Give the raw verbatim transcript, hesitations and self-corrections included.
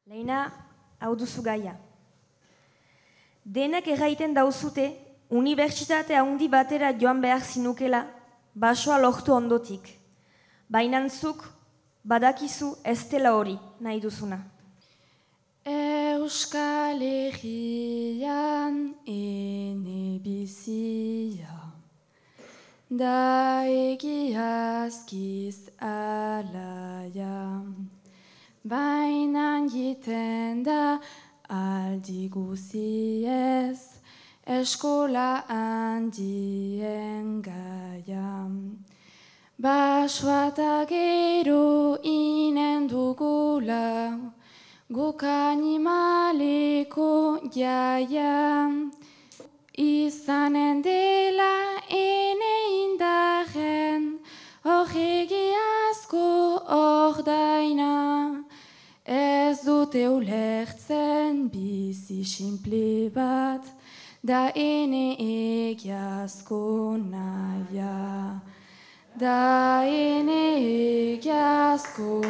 Lehena, hau duzu gaia. Denek erraiten dauzute, unibertsitate handi batera joan behar zinukela, basoa lortu ondotik. Bainantzuk, badakizu ez dela hori nahi duzuna. Euskal Herrian ene bizia, da egiazkiz alaia. Bainan jiten da aldi guziez, eskola handien gaia. Basoa eta gero inen dugula, guk animaleko jaia. Izanen dela ene indarren, horregi asko ordaina. Ez dute ulertzen bizi sinple bat, da ene egiazko naia. Da ene egiazko